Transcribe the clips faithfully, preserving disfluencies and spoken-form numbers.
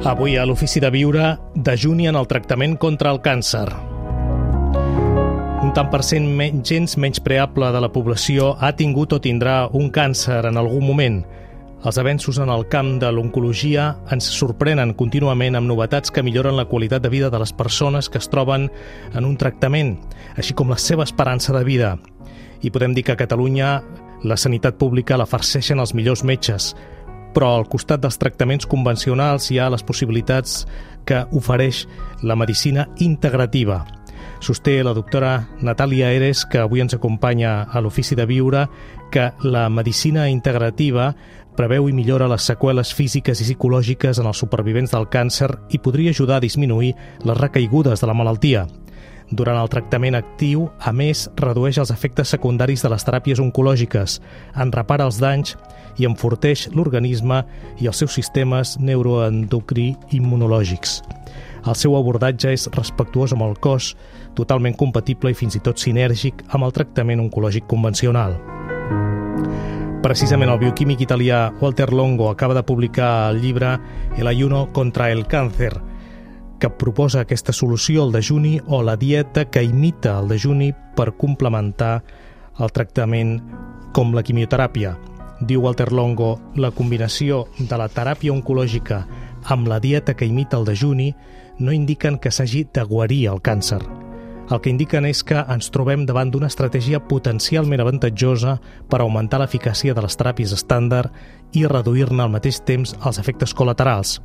Avui a l'Ofici de Viure, dejuni en el tractament contra el càncer. Un tant per cent men- gens menyspreable de la població ha tingut o tindrà un càncer en algun moment. Els avenços en el camp de l'oncologia ens sorprenen contínuament amb novetats que milloren la qualitat de vida de les persones que es troben en un tractament, així com la seva esperança de vida. I podem dir que a Catalunya la sanitat pública la farceixen els millors metges, però al costat dels tractaments convencionals hi ha les possibilitats que ofereix la medicina integrativa. Sosté la doctora Natàlia Eres, que avui ens acompanya a l'Ofici de Viure, que la medicina integrativa preveu i millora les seqüeles físiques i psicològiques en els supervivents del càncer i podria ajudar a disminuir les recaigudes de la malaltia. Durant el tractament actiu, a més, redueix els efectes secundaris de les teràpies oncològiques, en repara els danys i enforteix l'organisme i els seus sistemes neuroendocrí immunològics. El seu abordatge és respectuós amb el cos, totalment compatible i fins i tot sinèrgic amb el tractament oncològic convencional. Precisament el bioquímic italià Walter Longo acaba de publicar el llibre El ayuno contra el cáncer, que proposa aquesta solució al dejuni o la dieta que imita el dejuni per complementar el tractament com la quimioteràpia. Diu Walter Longo, la combinació de la teràpia oncològica amb la dieta que imita el dejuni no indiquen que s'hagi de guarir el càncer. El que indiquen és que ens trobem davant d'una estratègia potencialment avantatjosa per augmentar l'eficàcia de les teràpies estàndard i reduir-ne al mateix temps els efectes col·laterals.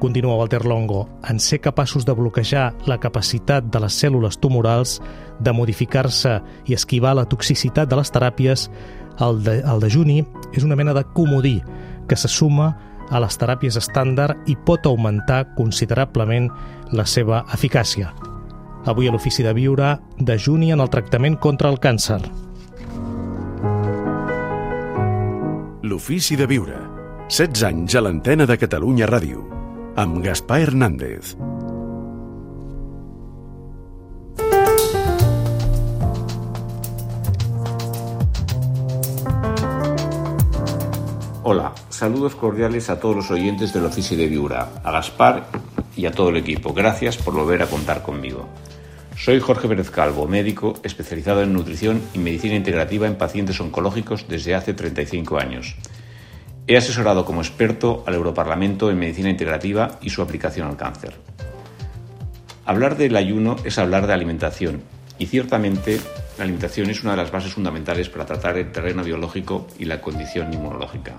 Continua Walter Longo, en ser capaços de bloquejar la capacitat de les cèl·lules tumorals de modificar-se i esquivar la toxicitat de les teràpies, el, de, el dejuni és una mena de comodí que se suma a les teràpies estàndard i pot augmentar considerablement la seva eficàcia. Avui a l'Ofici de Viure, dejuni en el tractament contra el càncer. L'Ofici de Viure. setze anys a l'antena de Catalunya Ràdio. Amb Gaspar Hernández. Hola, saludos cordiales a todos los oyentes del Ofici de Viure, a Gaspar y a todo el equipo. Gracias por volver a contar conmigo. Soy Jorge Pérez Calvo, médico especializado en nutrición y medicina integrativa en pacientes oncológicos desde hace treinta y cinco años. He asesorado como experto al Europarlamento en medicina integrativa y su aplicación al cáncer. Hablar del ayuno es hablar de alimentación y ciertamente la alimentación es una de las bases fundamentales para tratar el terreno biológico y la condición inmunológica.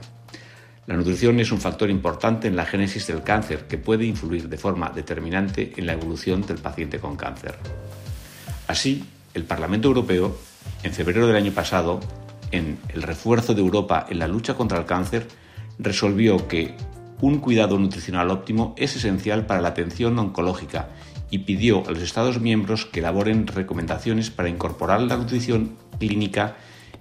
La nutrición es un factor importante en la génesis del cáncer que puede influir de forma determinante en la evolución del paciente con cáncer. Así, el Parlamento Europeo, en febrero del año pasado, en el refuerzo de Europa en la lucha contra el cáncer, resolvió que un cuidado nutricional óptimo es esencial para la atención oncológica y pidió a los Estados miembros que elaboren recomendaciones para incorporar la nutrición clínica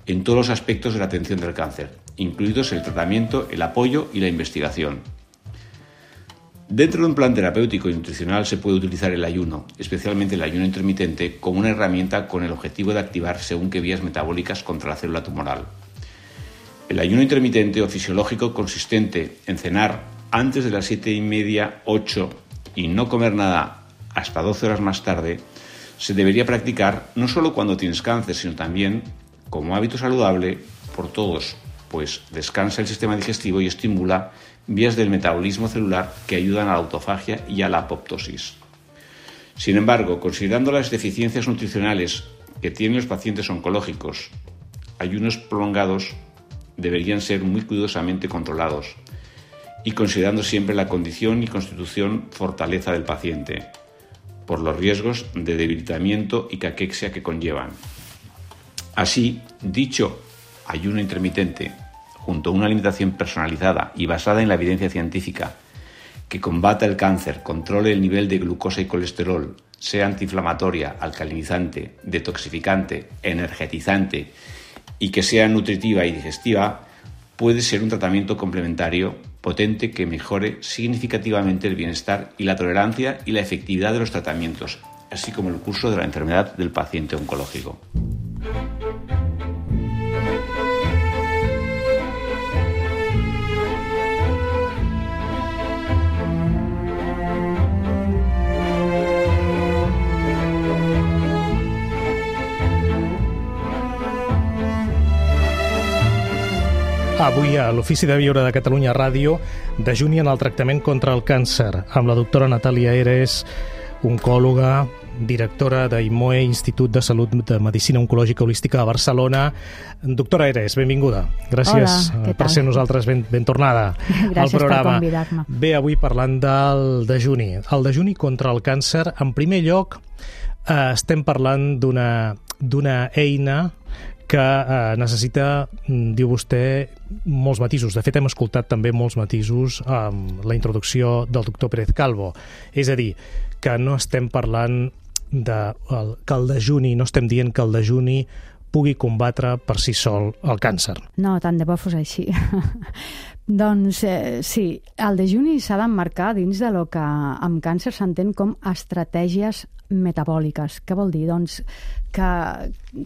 en todos los aspectos de la atención del cáncer, incluidos el tratamiento, el apoyo y la investigación. Dentro de un plan terapéutico y nutricional se puede utilizar el ayuno, especialmente el ayuno intermitente, como una herramienta con el objetivo de activar según qué vías metabólicas contra la célula tumoral. El ayuno intermitente o fisiológico consistente en cenar antes de las siete y media, ocho y no comer nada hasta doce horas más tarde, se debería practicar no solo cuando tienes cáncer, sino también como hábito saludable por todos, pues descansa el sistema digestivo y estimula vías del metabolismo celular que ayudan a la autofagia y a la apoptosis. Sin embargo, considerando las deficiencias nutricionales que tienen los pacientes oncológicos, ayunos prolongados deberían ser muy cuidadosamente controlados y considerando siempre la condición y constitución fortaleza del paciente, por los riesgos de debilitamiento y caquexia que conllevan. Así, dicho ayuno intermitente, junto a una alimentación personalizada y basada en la evidencia científica, que combata el cáncer, controle el nivel de glucosa y colesterol, sea antiinflamatoria, alcalinizante, detoxificante, energetizante y que sea nutritiva y digestiva, puede ser un tratamiento complementario potente que mejore significativamente el bienestar y la tolerancia y la efectividad de los tratamientos, así como el curso de la enfermedad del paciente oncológico. Avui a l'Ofici de Viure de Catalunya Ràdio dejuni en el tractament contra el càncer amb la doctora Natàlia Eres, oncòloga, directora d'Imoe, Institut de Salut de Medicina Oncològica Holística a Barcelona. Doctora Eres, benvinguda. Gràcies Hola, per ser nosaltres ben, ben tornada Gràcies al programa. per convidar-me. Bé, avui parlant del dejuni. El dejuni contra el càncer, en primer lloc, eh, estem parlant d'una d'una eina que eh, necessita, diu vostè, molts matisos. De fet, hem escoltat també molts matisos amb la introducció del doctor Pérez Calvo. És a dir, que no estem parlant de el, que el dejuni, no estem dient que el dejuni pugui combatre per si sol el càncer. No, tant de bo fos així. Doncs eh, sí, el dejuni s'ha d'emmarcar dins de lo que amb càncer s'entén com estratègies metabòliques. Què vol dir? Doncs que,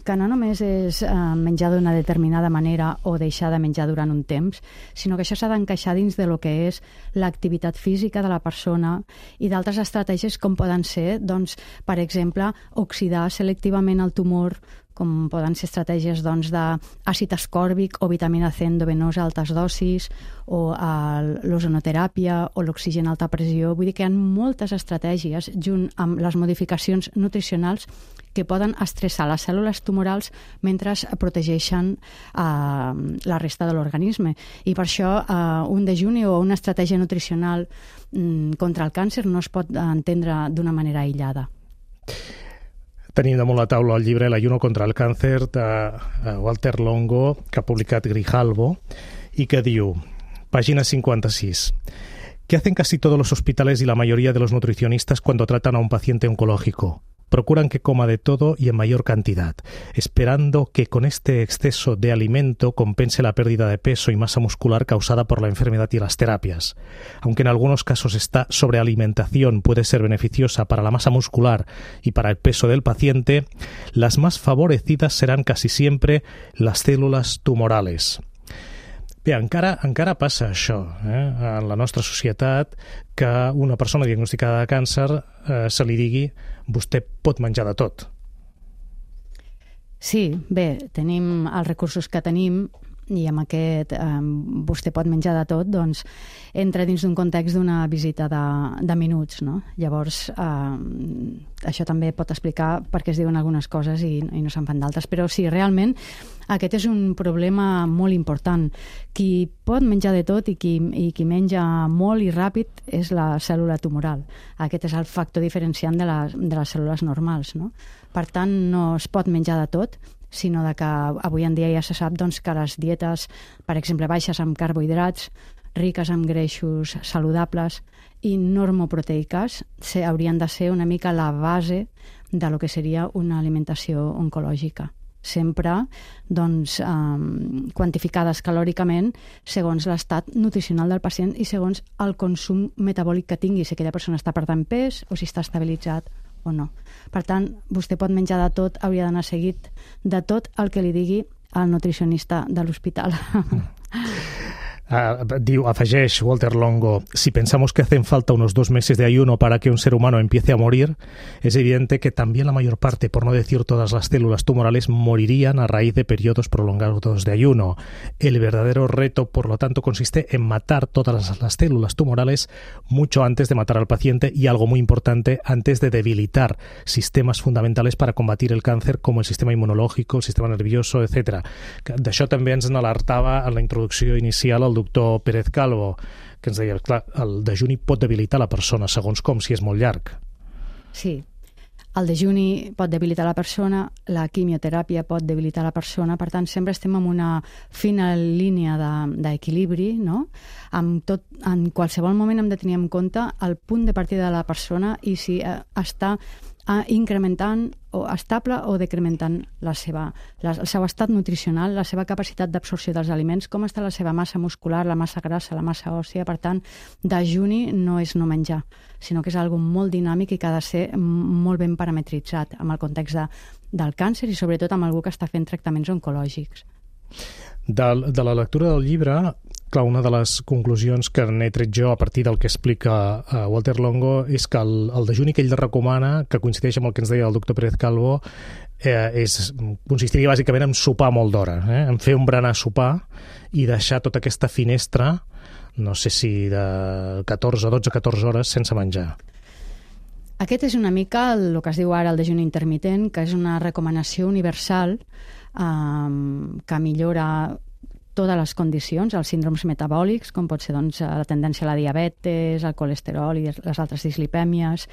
que no només és eh, menjar d'una determinada manera o deixar de menjar durant un temps, sinó que això s'ha d'encaixar dins de lo que és l'activitat física de la persona i d'altres estratègies com poden ser, doncs, per exemple, oxidar selectivament el tumor, com poden ser estratègies doncs, d'àcid ascòrbic o vitamina C endovenosa a altes dosis, o l'ozonoteràpia o l'oxigen a alta pressió. Vull dir que hi ha moltes estratègies, junt amb les modificacions nutricionals, que poden estressar les cèl·lules tumorals mentre protegeixen eh, la resta de l'organisme. I per això eh, un dejuni o una estratègia nutricional mm, contra el càncer no es pot entendre d'una manera aïllada. Tenim damunt la taula el llibre L'ayuno contra el càncer de Walter Longo, que ha publicat Grijalbo, y que diu, página cincuenta y seis, ¿qué hacen casi todos los hospitales y la mayoría de los nutricionistas cuando tratan a un paciente oncológico? Procuran que coma de todo y en mayor cantidad, esperando que con este exceso de alimento compense la pérdida de peso y masa muscular causada por la enfermedad y las terapias. Aunque en algunos casos esta sobrealimentación puede ser beneficiosa para la masa muscular y para el peso del paciente, las más favorecidas serán casi siempre las células tumorales. Bé, encara, encara passa això eh, en la nostra societat, que una persona diagnosticada de càncer eh, se li digui vostè pot menjar de tot. Sí, bé, tenim els recursos que tenim i amb aquest eh, vostè pot menjar de tot, doncs entra dins d'un context d'una visita de, de minuts, no? Llavors, eh, això també pot explicar per què es diuen algunes coses i, i no se'n fan d'altres, però sí, realment aquest és un problema molt important. Qui pot menjar de tot i qui, i qui menja molt i ràpid és la cèl·lula tumoral. Aquest és el factor diferenciant de les, de les cèl·lules normals, no? Per tant, no es pot menjar de tot, sinó de que avui en dia ja se sap doncs, que les dietes, per exemple, baixes amb carbohidrats, riques en greixos saludables i normoproteiques, haurien de ser una mica la base de lo que seria una alimentació oncològica. Sempre doncs, eh, quantificades calòricament segons l'estat nutricional del pacient i segons el consum metabòlic que tingui, si aquella persona està perdent pes o si està estabilitzat o no. Per tant, vostè pot menjar de tot, hauria d'anar seguit de tot el que li digui el nutricionista de l'hospital. Uh, diu, afegeix Walter Longo, si pensamos que hacen falta unos dos meses de ayuno para que un ser humano empiece a morir, es evidente que también la mayor parte, por no decir todas las células tumorales, morirían a raíz de periodos prolongados de ayuno. El verdadero reto, por lo tanto, consiste en matar todas las, las células tumorales mucho antes de matar al paciente y, algo muy importante, antes de debilitar sistemas fundamentales para combatir el cáncer, como el sistema inmunológico, el sistema nervioso, etcétera. D'això també ens n'alertava en la introducció inicial el doctor Pérez Calvo, que ens deia, clar, el dejuni pot debilitar la persona, segons com, si és molt llarg. Sí, el dejuni pot debilitar la persona, la quimioteràpia pot debilitar la persona, per tant, sempre estem en una fina línia d'equilibri, de, no? En, tot, en qualsevol moment hem de tenir en compte el punt de partida de la persona i si eh, està eh, incrementant o estable o decrementant la seva, la, el seu estat nutricional, la seva capacitat d'absorció dels aliments, com està la seva massa muscular, la massa grassa, la massa òssia. Per tant, dejuni no és no menjar, sinó que és algo molt dinàmic i que ha de ser molt ben parametritzat amb el context de, del càncer i sobretot amb algú que està fent tractaments oncològics. De, de la lectura del llibre clar, una de les conclusions que n'he tret jo a partir del que explica uh, Walter Longo és que el, el dejuni que ell recomana, que coincideix amb el que ens deia el doctor Pérez Calvo, eh, és, consistiria bàsicament en sopar molt d'hora, eh? en fer un berenar sopar i deixar tota aquesta finestra, no sé si de catorze, dotze, catorze hores sense menjar. Aquest és una mica el, el que es diu ara el dejuni intermitent, que és una recomanació universal um, que millora totes les condicions, els síndromes metabòlics, com pot ser doncs, la tendència a la diabetes, el colesterol i les altres dislipèmies.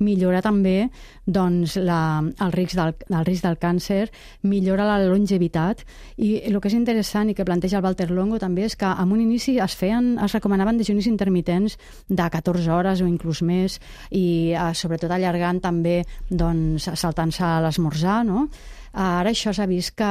Millora també doncs, la, el, risc del, el risc del càncer, millora la longevitat, i el que és interessant i que planteja el Walter Longo també és que en un inici es feien, es recomanaven dejunis intermitents de catorze hores o inclús més, i eh, sobretot allargant també doncs, saltant-se a l'esmorzar, no? Ara això s'ha vist que,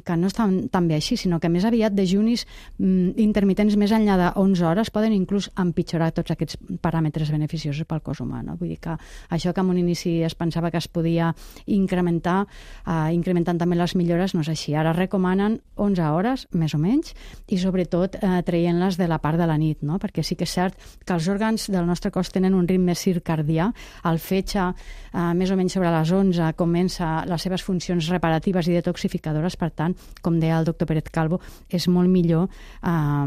que no és tan, tan bé així, sinó que més aviat dejunis mm, intermitents més enllà de onze hores poden inclús empitjorar tots aquests paràmetres beneficiosos pel cos humà. No? Vull dir que això que en un inici es pensava que es podia incrementar, eh, incrementant també les millores, no és així. Ara recomanen onze hores, més o menys, i sobretot eh, traient-les de la part de la nit, no? Perquè sí que és cert que els òrgans del nostre cos tenen un ritme circadià. El fetge, eh, més o menys sobre les onze, comença les seves funcions reparatives i detoxificadores, per tant, com deia el doctor Pérez Calvo, és molt millor eh,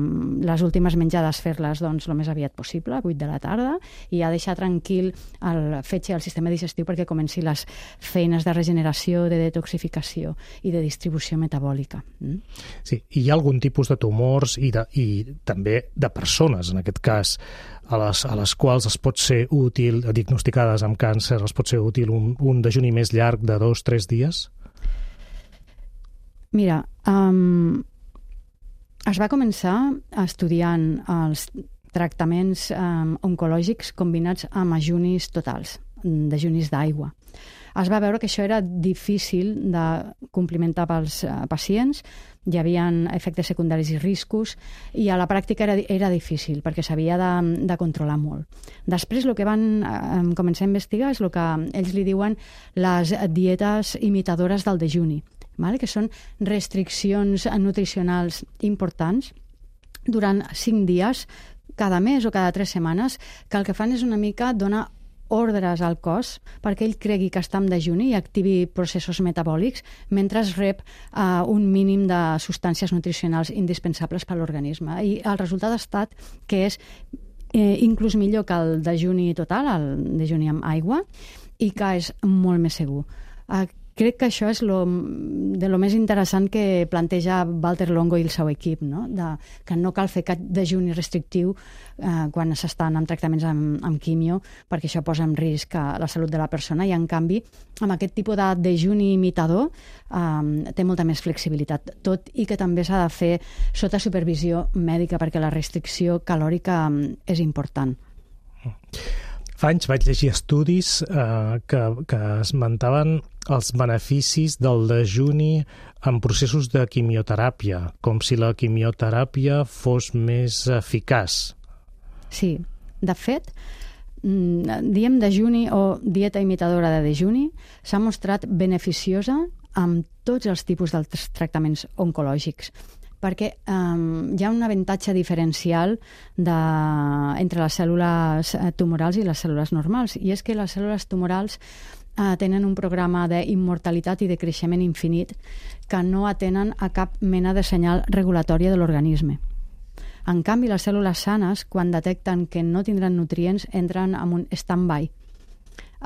les últimes menjades fer-les doncs, el més aviat possible, a vuit de la tarda, i a deixar tranquil el fetge i el sistema digestiu perquè comenci les feines de regeneració, de detoxificació i de distribució metabòlica. Mm? Sí, i hi ha algun tipus de tumors i, de, i també de persones, en aquest cas, a les, a les quals es pot ser útil, diagnosticades amb càncer, es pot ser útil un, un dejuni més llarg de dos o tres dies? Mira, um, es va començar estudiant els tractaments um, oncològics combinats amb ajunis totals, dejunis d'aigua. Es va veure que això era difícil de complimentar pels uh, pacients, hi havia efectes secundaris i riscos, i a la pràctica era, era difícil, perquè s'havia de, de controlar molt. Després el que van eh, començar a investigar és el que ells li diuen les dietes imitadores del dejuni, vale? Que són restriccions nutricionals importants durant cinc dies, cada mes o cada tres setmanes, que el que fan és una mica donar ordres al cos perquè ell cregui que està en dejuni i activi processos metabòlics mentre es rep uh, un mínim de substàncies nutricionals indispensables per a l'organisme. I el resultat ha estat que és eh, inclús millor que el dejuni total, el dejuni amb aigua, i que és molt més segur. Uh, Crec que això és lo, de lo més interessant que planteja Walter Longo i el seu equip, no? De, que no cal fer cap dejuni restrictiu eh, quan s'estan en tractaments amb, amb quimio, perquè això posa en risc la salut de la persona, i en canvi amb aquest tipus de dejuni imitador eh, té molta més flexibilitat, tot i que també s'ha de fer sota supervisió mèdica perquè la restricció calòrica eh, és important. Fa anys vaig llegir estudis eh, que, que esmentaven els beneficis del dejuni en processos de quimioteràpia, com si la quimioteràpia fos més eficaç. Sí, de fet, diem dejuni o dieta imitadora de dejuni s'ha mostrat beneficiosa amb tots els tipus dels tractaments oncològics, perquè um, hi ha un avantatge diferencial de, entre les cèl·lules tumorals i les cèl·lules normals, i és que les cèl·lules tumorals uh, tenen un programa d'immortalitat i de creixement infinit que no atenen a cap mena de senyal regulatòria de l'organisme. En canvi, les cèl·lules sanes, quan detecten que no tindran nutrients, entren en un stand-by.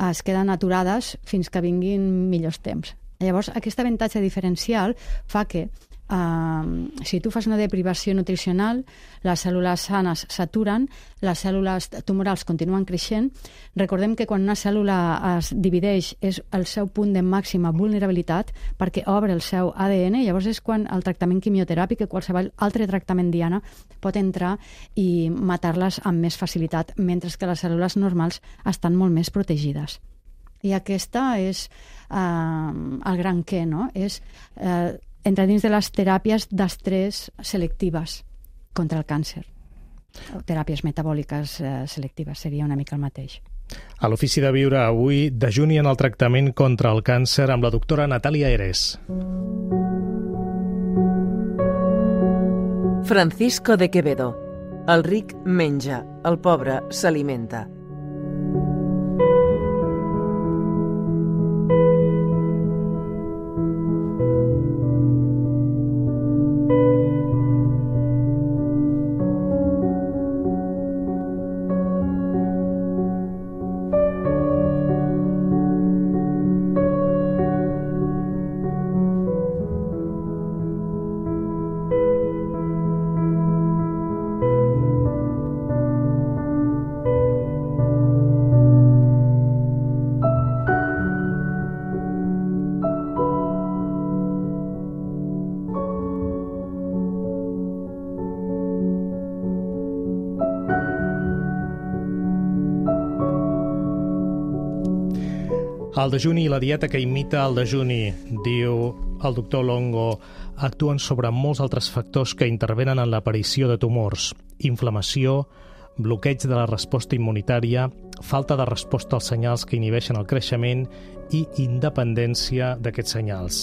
Es queden aturades fins que vinguin millors temps. Llavors, aquest avantatge diferencial fa que Uh, si tu fas una deprivació nutricional, les cèl·lules sanes s'aturen, les cèl·lules tumorals continuen creixent. Recordem que quan una cèl·lula es divideix és el seu punt de màxima vulnerabilitat perquè obre el seu A D N, llavors és quan el tractament quimioteràpic o qualsevol altre tractament diana pot entrar i matar-les amb més facilitat, mentre que les cèl·lules normals estan molt més protegides. I aquesta és uh, el gran què, no? És uh, entre dins de les teràpies d'estrès selectives contra el càncer. O teràpies metabòliques eh, selectives, seria una mica el mateix. A l'Ofici de Viure avui, dejuni en el tractament contra el càncer amb la doctora Natàlia Eres. Francisco de Quevedo. El ric menja, el pobre s'alimenta. El dejuni i la dieta que imita el dejuni, diu el doctor Longo, actuen sobre molts altres factors que intervenen en l'aparició de tumors, inflamació, bloqueig de la resposta immunitària, falta de resposta als senyals que inhibeixen el creixement i independència d'aquests senyals.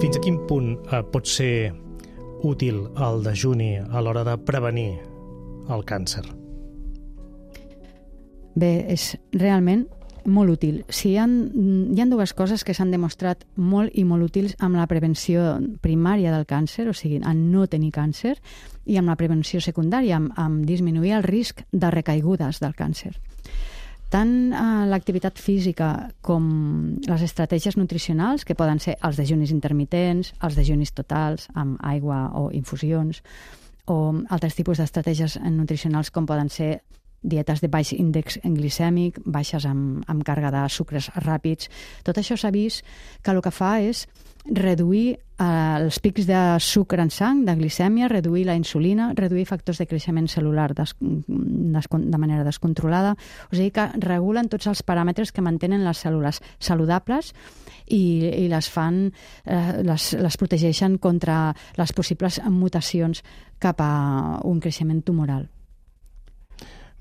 Fins a quin punt eh, pot ser útil el dejuni a l'hora de prevenir el càncer? Bé, és realment molt útil. Si hi ha, hi ha dues coses que s'han demostrat molt i molt útils amb la prevenció primària del càncer, o sigui, en no tenir càncer, i amb la prevenció secundària, amb, amb disminuir el risc de recaigudes del càncer. Tant eh, l'activitat física com les estratègies nutricionals, que poden ser els dejunis intermitents, els dejunis totals, amb aigua o infusions, o altres tipus d'estratègies nutricionals com poden ser dietes de baix índex glicèmic, baixes amb, amb càrrega de sucres ràpids. Tot això s'ha vist que el que fa és reduir eh, els pics de sucre en sang, de glicèmia, reduir la insulina, reduir factors de creixement cel·lular des, des, de manera descontrolada. O sigui que regulen tots els paràmetres que mantenen les cèl·lules saludables i, i les fan, eh, les, les protegeixen contra les possibles mutacions cap a un creixement tumoral.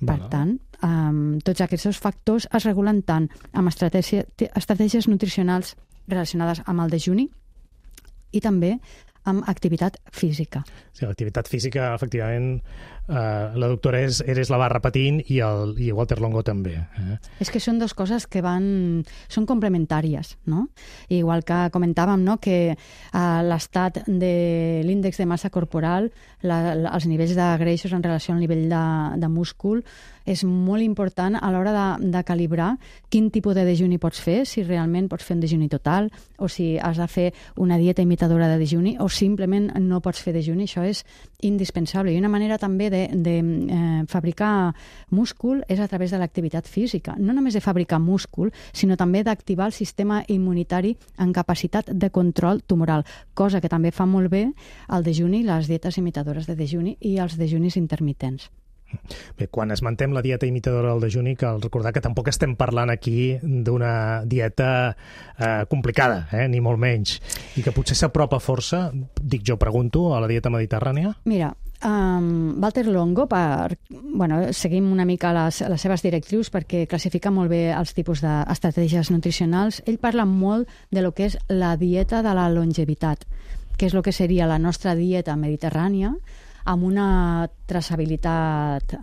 Per tant, um, tots aquests dos factors es regulen tant amb estratègia, estratègies nutricionals relacionades amb el dejuni i també amb activitat física. Sí, l'activitat física, efectivament, eh, la doctora Eres la va repetint i el i Walter Longo també. Eh? És que són dues coses que van... són complementàries, no? Igual que comentàvem, no?, que eh, l'estat de l'índex de massa corporal, la, la, els nivells de greixos en relació al nivell de, de múscul, és molt important a l'hora de, de calibrar quin tipus de dejuni pots fer, si realment pots fer un dejuni total, o si has de fer una dieta imitadora de dejuni, o simplement no pots fer dejuni. Això és indispensable. I una manera també de, de eh, fabricar múscul és a través de l'activitat física. No només de fabricar múscul, sinó també d'activar el sistema immunitari en capacitat de control tumoral, cosa que també fa molt bé el dejuni, les dietes imitadores de dejuni i els dejunis intermitents. Bé, quan esmentem la dieta imitadora del dejuni, cal recordar que tampoc estem parlant aquí d'una dieta eh, complicada, eh, ni molt menys, i que potser s'apropa força, dic jo, pregunto, a la dieta mediterrània? Mira, um, Walter Longo, per, bueno, seguim una mica les, les seves directrius perquè classifica molt bé els tipus d'estratègies nutricionals. Ell parla molt de lo que és la dieta de la longevitat, que és el que seria la nostra dieta mediterrània, amb una traçabilitat eh,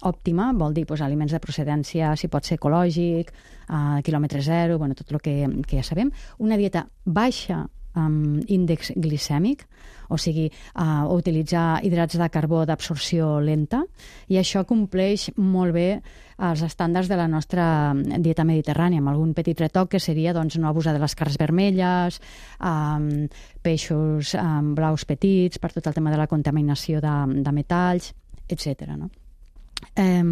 òptima, vol dir pues, aliments de procedència, si pot ser ecològic, eh, quilòmetre zero, bueno, tot el que, que ja sabem. Una dieta baixa amb índex glicèmic, o sigui, eh, utilitzar hidrats de carbó d'absorció lenta, i això compleix molt bé els estàndards de la nostra dieta mediterrània, amb algun petit retoc que seria doncs, no abusar de les carns vermelles, eh, peixos eh, blaus petits, per tot el tema de la contaminació de, de metalls, etcètera. No? Eh,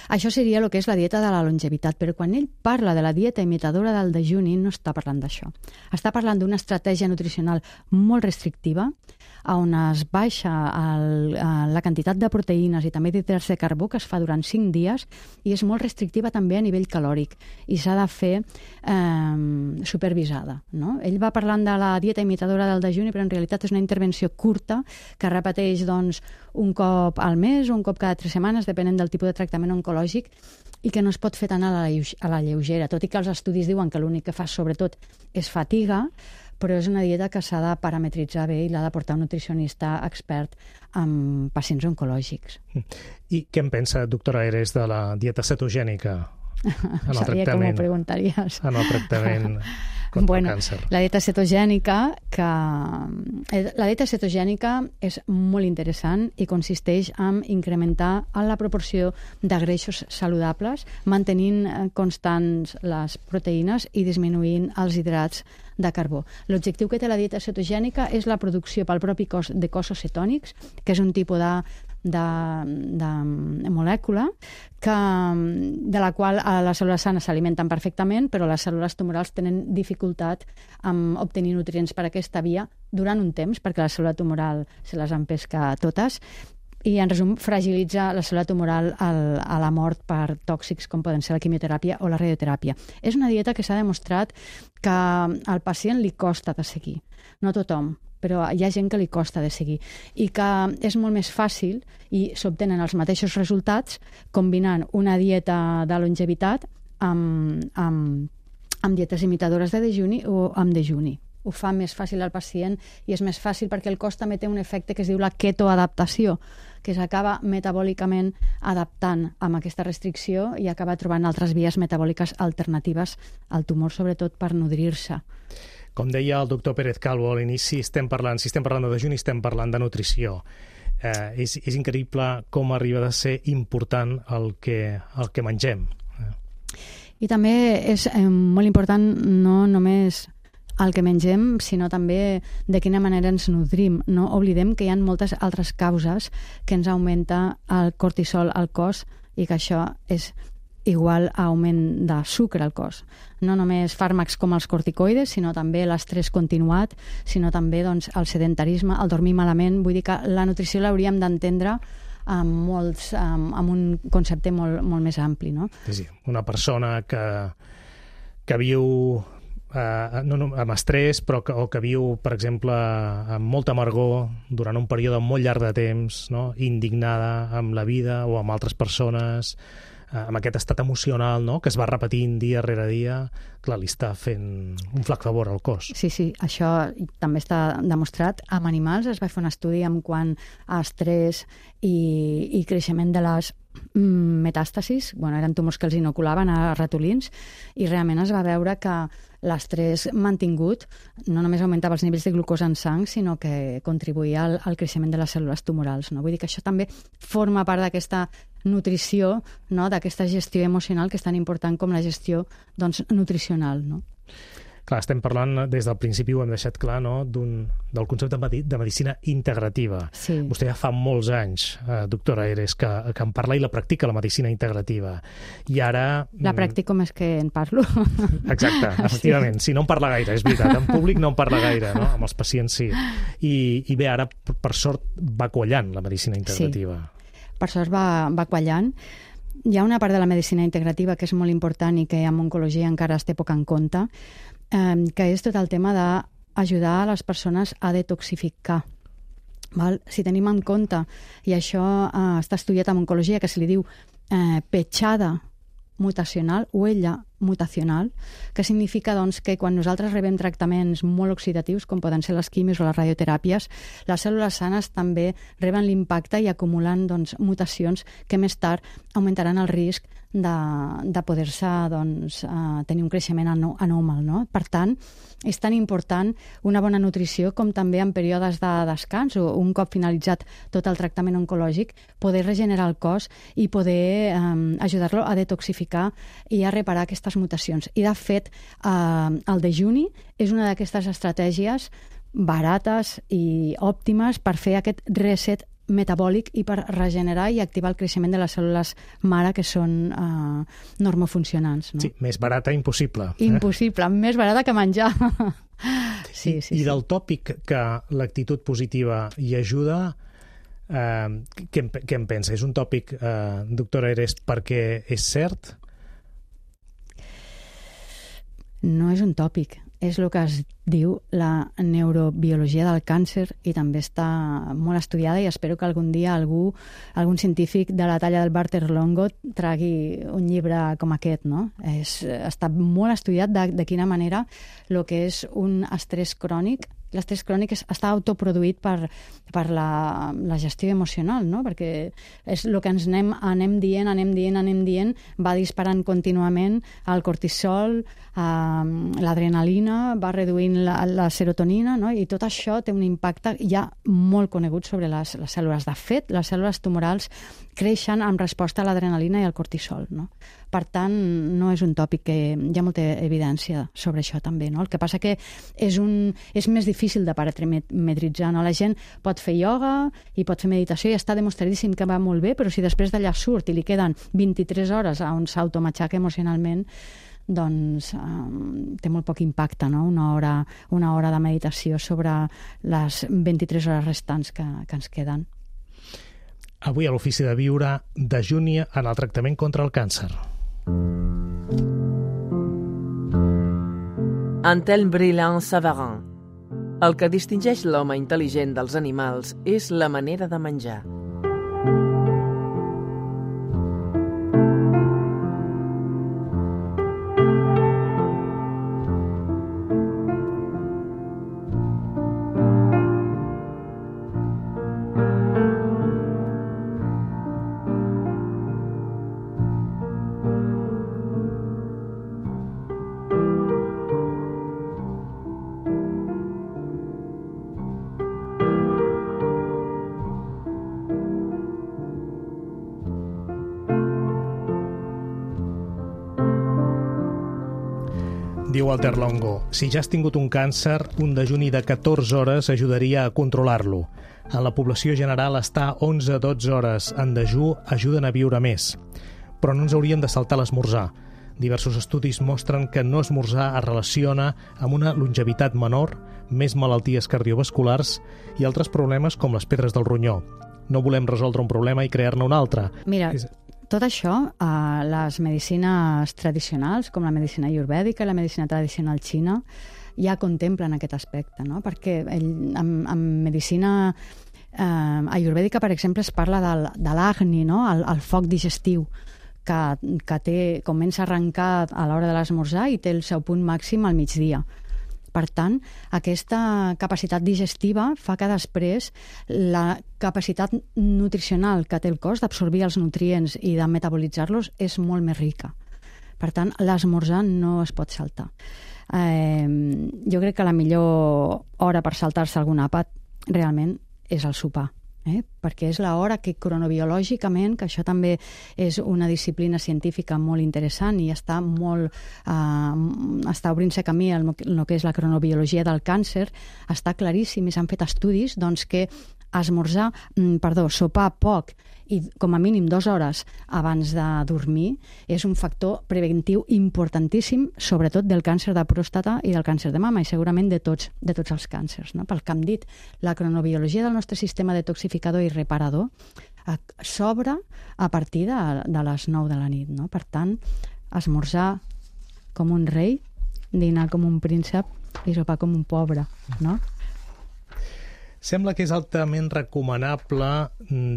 Això seria el que és la dieta de la longevitat, però quan ell parla de la dieta imitadora del dejuni no està parlant d'això. Està parlant d'una estratègia nutricional molt restrictiva, on es baixa el, la quantitat de proteïnes i també d'hidrats de carbó que es fa durant cinc dies, i és molt restrictiva també a nivell calòric, i s'ha de fer eh, supervisada. No? Ell va parlant de la dieta imitadora del dejuni, però en realitat és una intervenció curta que repeteix doncs, un cop al mes o un cop cada tres setmanes, depenent del tipus de tractament tractament oncològic i que no es pot fer tant a la, a la lleugera, tot i que els estudis diuen que l'únic que fa sobretot és fatiga, però és una dieta que s'ha de parametritzar bé i l'ha de portar un nutricionista expert amb pacients oncològics. I què en pensa, doctora Eres, de la dieta cetogènica? En el Sabia que m'ho preguntaries. En el tractament contra bueno, el càncer. La dieta cetogènica, que... la dieta cetogènica és molt interessant i consisteix en incrementar la proporció de greixos saludables, mantenint constants les proteïnes i disminuint els hidrats de carbó. L'objectiu que té la dieta cetogènica és la producció pel propi cos de cossos cetònics, que és un tipus de De, de molècula que, de la qual les cèl·lules sanes s'alimenten perfectament, però les cèl·lules tumorals tenen dificultat en obtenir nutrients per aquesta via durant un temps, perquè la cèl·lula tumoral se les empesca totes, i en resum fragilitza la cèl·lula tumoral al, a la mort per tòxics com poden ser la quimioteràpia o la radioteràpia. És una dieta que s'ha demostrat que al pacient li costa de seguir. No tothom, però hi ha gent que li costa de seguir i que és molt més fàcil i s'obtenen els mateixos resultats combinant una dieta de longevitat amb, amb, amb dietes imitadores de dejuni o amb dejuni. Ho fa més fàcil al pacient i és més fàcil perquè el cos també té un efecte que es diu la ketoadaptació, que s'acaba metabòlicament adaptant amb aquesta restricció i acaba trobant altres vies metabòliques alternatives al tumor, sobretot per nodrir-se. Com deia el doctor Pérez Calvo a l'inici, estem parlant, si estem parlant de dejuni, estem parlant de nutrició. Eh, és, és increïble com arriba a ser important el que, el que mengem. I també és eh, molt important no només el que mengem, sinó també de quina manera ens nodrim. No oblidem que hi ha moltes altres causes que ens augmenta el cortisol al cos i que això és igual a augment de sucre al cos. No només fàrmacs com els corticoides, sinó també l'estrès continuat, sinó també doncs, el sedentarisme, el dormir malament. Vull dir que la nutrició l'hauríem d'entendre amb, molts, amb, amb un concepte molt, molt més ampli. No? Sí, sí. Una persona que, que viu eh, no, no, amb estrès, però que, o que viu, per exemple, amb molta amargor durant un període molt llarg de temps, no? Indignada amb la vida o amb altres persones, amb aquest estat emocional, no?, que es va repetint dia rere dia, clar, li està fent un flac favor al cos. Sí, sí, això també està demostrat. Amb animals es va fer un estudi en quant a estrès i, i creixement de les metàstasis, bueno, eren tumors que els inoculaven a ratolins, i realment es va veure que l'estrès mantingut no només augmentava els nivells de glucosa en sang, sinó que contribuïa al, al creixement de les cèl·lules tumorals. No? Vull dir que això també forma part d'aquesta nutrició, no? D'aquesta gestió emocional que és tan important com la gestió doncs, nutricional. No? Clar, estem parlant, des del principi ho hem deixat clar, no?, d'un, del concepte de medicina integrativa. Sí. Vostè ja fa molts anys, eh, doctora Eres, que, que en parla i la practica, la medicina integrativa. I ara... La practico més que en parlo. Exacte, efectivament. Sí. Si no en parla gaire, és veritat. En públic no en parla gaire, no? Amb els pacients sí. I, i bé, ara, per sort, va quallant la medicina integrativa. Sí, per sort va, va quallant. Hi ha una part de la medicina integrativa que és molt important i que en oncologia encara es té poc en compte, eh, que és tot el tema d'ajudar a les persones a detoxificar. Val? Si tenim en compte, i això eh, està estudiat en oncologia, que se li diu eh, petjada mutacional, huella mutacional, que significa doncs, que quan nosaltres rebem tractaments molt oxidatius, com poden ser les quimis o les radioteràpies, les cèl·lules sanes també reben l'impacte i acumulen doncs, mutacions que més tard augmentaran el risc de, de poder-se doncs, uh, tenir un creixement anòmal. No? Per tant, és tan important una bona nutrició com també en períodes de descans o un cop finalitzat tot el tractament oncològic, poder regenerar el cos i poder um, ajudar-lo a detoxificar i a reparar aquestes mutacions. I, de fet, eh, el dejuni és una d'aquestes estratègies barates i òptimes per fer aquest reset metabòlic i per regenerar i activar el creixement de les cèl·lules mare que són eh, normofuncionants. No? Sí, més barata impossible. Eh? Impossible, més barata que menjar. sí, sí, I, I sí. del tòpic que l'actitud positiva hi ajuda, eh, què, què en pensa? És un tòpic, eh, doctora Eres, perquè és cert? No és un tòpic. és el que es diu la neurobiologia del càncer i també està molt estudiada i espero que algun dia algú, algun científic de la talla del Walter Longo tragui un llibre com aquest, no? És, està molt estudiat de, de quina manera el que és un estrès crònic l'estrès crònic està autoproduït per, per la, la gestió emocional, no? Perquè és el que ens anem, anem dient, anem dient, anem dient, va disparant contínuament el cortisol, eh, l'adrenalina, va reduint la, la serotonina, no? I tot això té un impacte ja molt conegut sobre les, les cèl·lules. De fet, les cèl·lules tumorals creixen en resposta a l'adrenalina i al cortisol, no? Per tant, no és un tòpic que hi ha molta evidència sobre això també, no? El que passa que és, un, és més difícil de parametritzar, no? La gent pot fer ioga i pot fer meditació i està demostradíssim que va molt bé, però si després d'allà surt i li queden vint-i-tres hores on s'automatxaca emocionalment, doncs um, té molt poc impacte, no? Una hora, una hora de meditació sobre les vint-i-tres hores restants que, que ens queden. Avui a l'Ofici de Viure dejuni en el tractament contra el càncer. Antelme Brillant-Savarin. El que distingeix l'home intel·ligent dels animals és la manera de menjar. Diu Walter Longo, si ja has tingut un càncer, un dejuni de catorze hores ajudaria a controlar-lo. En la població general, estar onze a dotze hores en dejú ajuden a viure més. Però no ens hauríem de saltar l'esmorzar. Diversos estudis mostren que no esmorzar es relaciona amb una longevitat menor, més malalties cardiovasculars i altres problemes com les pedres del ronyó. No volem resoldre un problema i crear-ne un altre. Mira, tot això, eh, les medicines tradicionals, com la medicina ayurvèdica i la medicina tradicional xina, ja contemplen aquest aspecte, no? Perquè ell, en, en medicina eh, ayurvèdica, per exemple, es parla del, de l'agni, no? el, el foc digestiu, que, que té, comença a arrencar a l'hora de l'esmorzar i té el seu punt màxim al migdia. Per tant, aquesta capacitat digestiva fa que després la capacitat nutricional que té el cos d'absorbir els nutrients i de metabolitzar-los és molt més rica. Per tant, l'esmorzar no es pot saltar. Eh, jo crec que la millor hora per saltar-se algun àpat realment és el sopar. Eh? Perquè és l'hora que cronobiològicament, que això també és una disciplina científica molt interessant i està molt eh, està obrint-se camí el, el que és la cronobiologia del càncer, està claríssim i s'han fet estudis doncs, que esmorzar, perdó, sopar poc i com a mínim dues hores abans de dormir és un factor preventiu importantíssim, sobretot del càncer de pròstata i del càncer de mama i segurament de tots, de tots els càncers, no? Pel que hem dit, la cronobiologia del nostre sistema detoxificador i reparador s'obre a partir de, de les nou de la nit, no? Per tant, esmorzar com un rei, dinar com un príncep i sopar com un pobre, no? Sembla que és altament recomanable,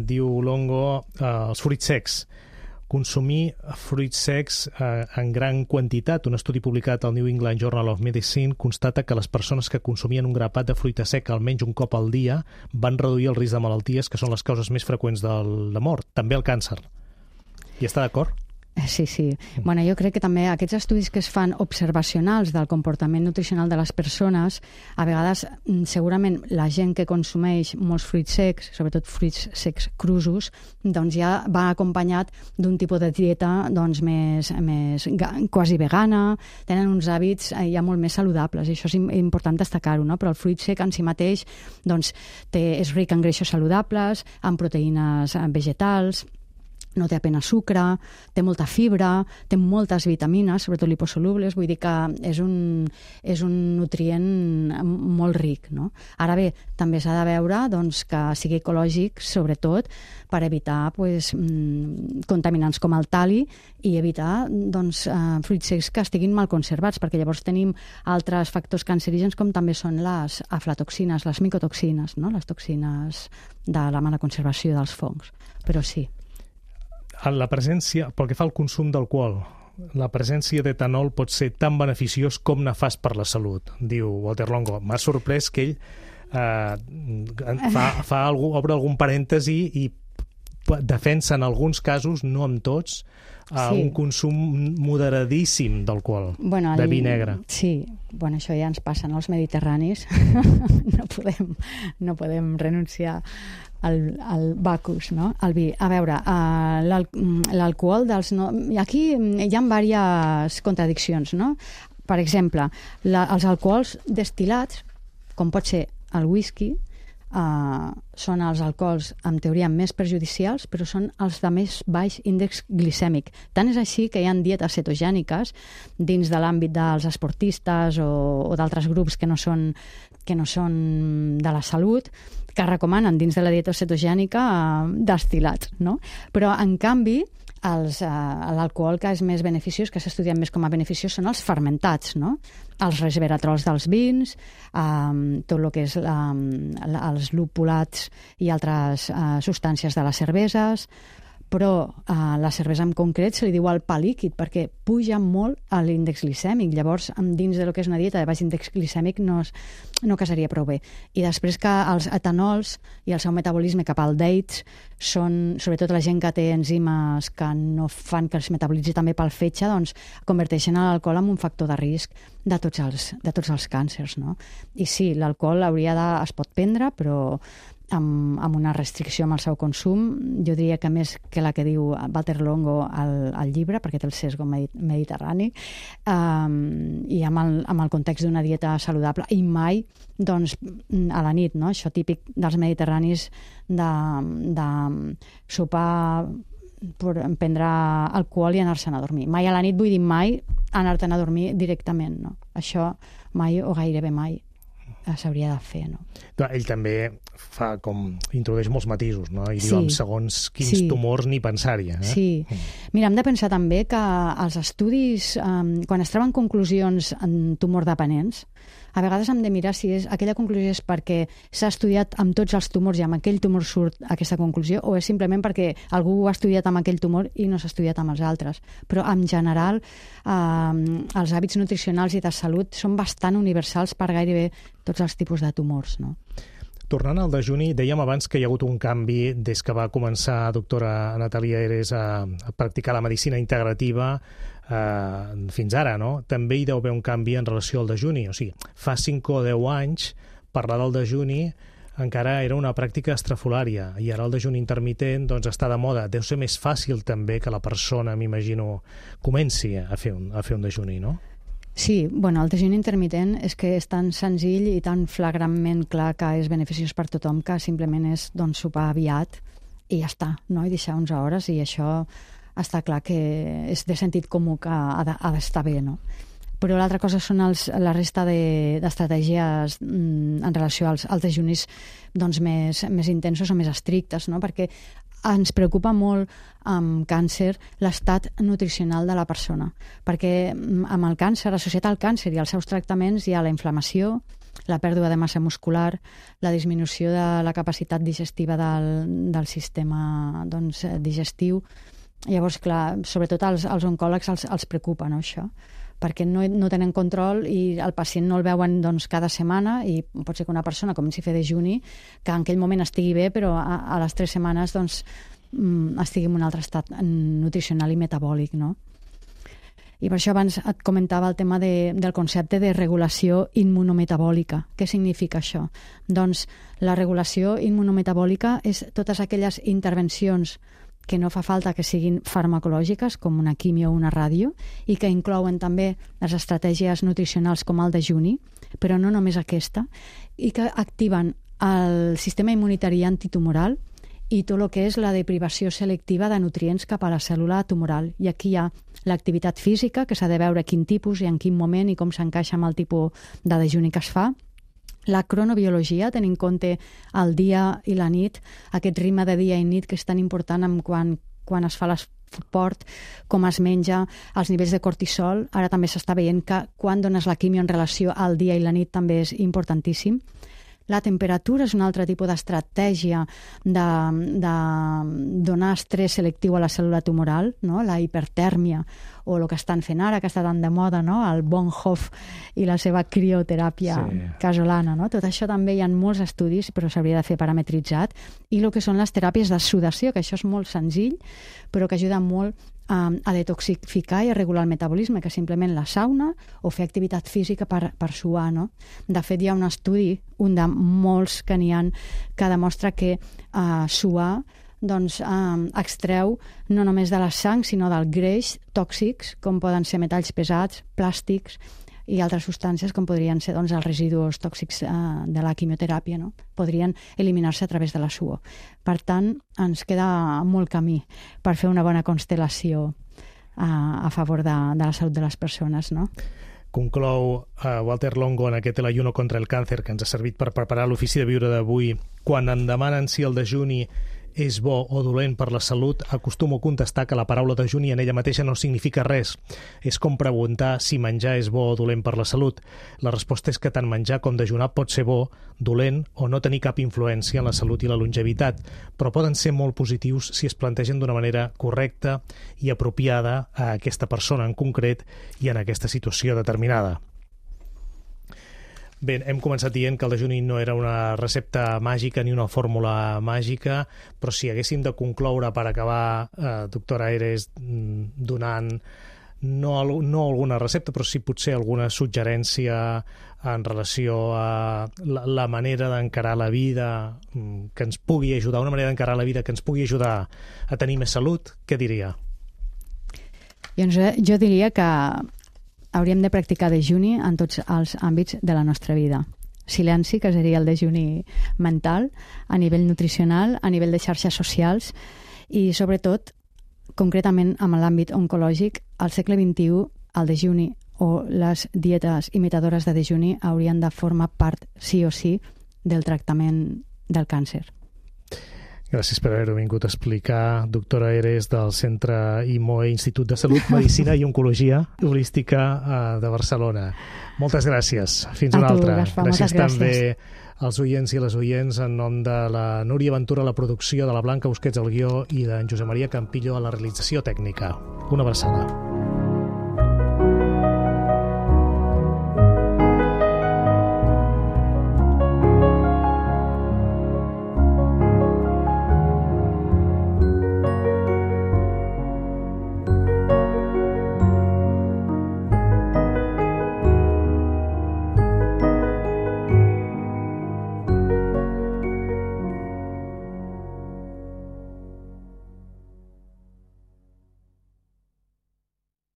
diu Longo, eh, els fruits secs. Consumir fruits secs eh, en gran quantitat. Un estudi publicat al New England Journal of Medicine constata que les persones que consumien un grapat de fruita seca almenys un cop al dia van reduir el risc de malalties que són les causes més freqüents de la mort, també el càncer. Hi està d'acord? Sí, sí. Bueno, jo crec que també aquests estudis que es fan observacionals del comportament nutricional de les persones, a vegades segurament la gent que consumeix molts fruits secs, sobretot fruits secs crusos, doncs ja va acompanyat d'un tipus de dieta doncs, més, més quasi vegana, tenen uns hàbits ja molt més saludables, i això és important destacar-ho, no? Però el fruit sec en si mateix doncs, té, és ric en greixos saludables, en proteïnes vegetals, no té apenas sucre, té molta fibra, té moltes vitamines, sobretot liposolubles, vull dir que és un, és un nutrient molt ric, no? Ara bé, també s'ha de veure doncs, que sigui ecològic, sobretot per evitar pues, contaminants com el tali i evitar doncs, fruits secs que estiguin mal conservats, perquè llavors tenim altres factors cancerígens com també són les aflatoxines, les micotoxines, no? Les toxines de la mala conservació dels fongs. Però sí. La presència, pel que fa al consum d'alcohol, la presència d'etanol pot ser tan beneficiós com nefast per la salut, diu Walter Longo. M'ha sorprès que ell eh, fa, fa algú, obre algun parèntesi i defensa en alguns casos, no en tots, eh, sí. un consum moderadíssim d'alcohol, bueno, el, de vi negre. Sí, bueno, això ja ens passa als mediterranis. no, podem, no podem renunciar al, al Bacchus, no? Al vi. A veure, uh, l'alcohol dels... No... Aquí hi ha diverses contradiccions, no? Per exemple, la, els alcohols destil·lats, com pot ser el whisky, Uh, són els alcohols, en teoria, més perjudicials, però són els de més baix índex glicèmic. Tant és així que hi ha dietes cetogèniques dins de l'àmbit dels esportistes o, o d'altres grups que no són, que no són de la salut, que recomanen dins de la dieta cetogènica uh, destil·lats, no? Però, en canvi, els, uh, l'alcohol que és més beneficiós, que s'ha estudiat més com a beneficiós, són els fermentats, no? Els resveratrols dels vins, um, tot el que és la, la, els lupulats i altres uh, substàncies de les cerveses, però uh, la cervesa en concret se li diu el pa líquid perquè puja molt a l'índex glicèmic. Llavors, dins de lo que és una dieta de baix índex glicèmic no, es, no casaria prou bé. I després que els etanols i el seu metabolisme cap al dates són, sobretot la gent que té enzimes que no fan que es metabolitzi també pel fetge, doncs converteixen l'alcohol en un factor de risc de tots els, de tots els càncers, no? I sí, l'alcohol hauria de, es pot prendre, però amb, amb una restricció amb el seu consum, jo diria que més que la que diu Walter Longo al, al llibre, perquè té el sesgo mediterrani, um, i amb el, amb el context d'una dieta saludable, i mai doncs, a la nit, no? Això típic dels mediterranis de, de sopar, prendre alcohol i anar-se'n a dormir. Mai a la nit vull dir mai anar-te'n a dormir directament, no? Això mai o gairebé mai s'hauria de fer, no? Ell també fa com... introdueix molts matisos, no? I sí. diu amb segons quins sí. tumors ni pensar-hi. Eh? Sí. Mira, hem de pensar també que els estudis, um, quan es treuen conclusions en tumor dependents, a vegades hem de mirar si és, aquella conclusió és perquè s'ha estudiat amb tots els tumors i amb aquell tumor surt aquesta conclusió, o és simplement perquè algú ho ha estudiat amb aquell tumor i no s'ha estudiat amb els altres. Però, en general, eh, els hàbits nutricionals i de salut són bastant universals per gairebé tots els tipus de tumors, no? Tornant al dejuni, dèiem abans que hi ha hagut un canvi des que va començar, doctora Natàlia Eres, a, a practicar la medicina integrativa eh, fins ara, no? També hi deu haver un canvi en relació al dejuni. O sigui, fa cinc o deu anys parlar del dejuni encara era una pràctica estrafolària i ara el dejuni intermitent doncs, està de moda. Deu ser més fàcil també que la persona, m'imagino, comenci a fer un, a fer un dejuni, no? Sí, bueno, el dejuni intermitent és que és tan senzill i tan flagrantment clar que és beneficiós per tothom que simplement és doncs, sopar aviat i ja està, no? I deixar onze hores, i això està clar que és de sentit comú que ha d'estar bé, no? Però l'altra cosa són els, la resta d'estratègies de, mm, en relació als, als dejunis doncs, més, més intensos o més estrictes, no? Perquè ens preocupa molt amb càncer l'estat nutricional de la persona, perquè amb el càncer, associat al càncer i als seus tractaments hi ha la inflamació, la pèrdua de massa muscular, la disminució de la capacitat digestiva del, del sistema doncs, digestiu. Llavors, clar, sobretot als, als oncòlegs els, els preocupa, no, això? Perquè no, no tenen control i el pacient no el veuen doncs, cada setmana, i pot ser que una persona comenci a fer dejuni, que en aquell moment estigui bé, però a, a les tres setmanes doncs, estigui en un altre estat nutricional i metabòlic, no? I per això abans et comentava el tema de, del concepte de regulació immunometabòlica. Què significa això? Doncs la regulació immunometabòlica és totes aquelles intervencions que no fa falta que siguin farmacològiques, com una quimio o una ràdio, i que inclouen també les estratègies nutricionals com el dejuni, però no només aquesta, i que activen el sistema immunitari antitumoral i tot el que és la deprivació selectiva de nutrients cap a la cèl·lula tumoral. I aquí hi ha l'activitat física, que s'ha de veure quin tipus i en quin moment i com s'encaixa amb el tipus de dejuni que es fa. La cronobiologia, tenint en compte el dia i la nit, aquest ritme de dia i nit que és tan important en quan, quan es fa l'esport, com es menja, els nivells de cortisol. Ara també s'està veient que quan dones la quimio en relació al dia i la nit també és importantíssim. La temperatura és un altre tipus d'estratègia de, de donar estrès selectiu a la cèl·lula tumoral, no? La hipertèrmia, o el que estan fent ara, que està tan de moda, no? El Bonhoeffer i la seva crioteràpia sí. casolana. No? Tot això també hi ha molts estudis, però s'hauria de fer parametritzat. I el que són les teràpies de sudació, que això és molt senzill, però que ajuda molt a detoxificar i a regular el metabolisme, que simplement la sauna o fer activitat física per, per suar. No? De fet, hi ha un estudi, un de molts que n'hi ha, que demostra que uh, suar doncs, uh, extreu no només de la sang, sinó del greix tòxics, com poden ser metalls pesats, plàstics i altres substàncies com podrien ser doncs, els residus tòxics eh, de la quimioteràpia, no? Podrien eliminar-se a través de la suor. Per tant, ens queda molt camí per fer una bona constel·lació eh, a favor de, de la salut de les persones, no? Conclou uh, Walter Longo en aquest El ayuno contra el càncer, que ens ha servit per preparar l'ofici de viure d'avui. Quan em demanen si el dejuni és bo o dolent per la salut, acostumo a contestar que la paraula dejuni en ella mateixa no significa res. És com preguntar si menjar és bo o dolent per la salut. La resposta és que tant menjar com dejunar pot ser bo, dolent o no tenir cap influència en la salut i la longevitat, però poden ser molt positius si es plantegen d'una manera correcta i apropiada a aquesta persona en concret i en aquesta situació determinada. Bé, hem començat dient que el dejuni no era una recepta màgica ni una fórmula màgica, però si haguéssim de concloure per acabar, eh, doctora Eres, donant no, no alguna recepta, però sí potser alguna suggerència en relació a la, la manera d'encarar la vida que ens pugui ajudar, una manera d'encarar la vida que ens pugui ajudar a tenir més salut, què diria? Doncs jo diria que hauríem de practicar dejuni en tots els àmbits de la nostra vida. Silenci, que seria el dejuni mental, a nivell nutricional, a nivell de xarxes socials i, sobretot, concretament amb l'àmbit oncològic, al segle vint-i-u, el dejuni o les dietes imitadores de dejuni haurien de formar part, sí o sí, del tractament del càncer. Gràcies per haver-ho vingut a explicar, doctora Eres, del Centre I M O E, Institut de Salut, Medicina i Oncologia Holística de Barcelona. Moltes gràcies. Fins una altra. Gaspar, gràcies gràcies també als oients i les oients en nom de la Núria Ventura a la producció, de la Blanca Busquets al guió i d'en Josep Maria Campillo a la realització tècnica. Una abraçada.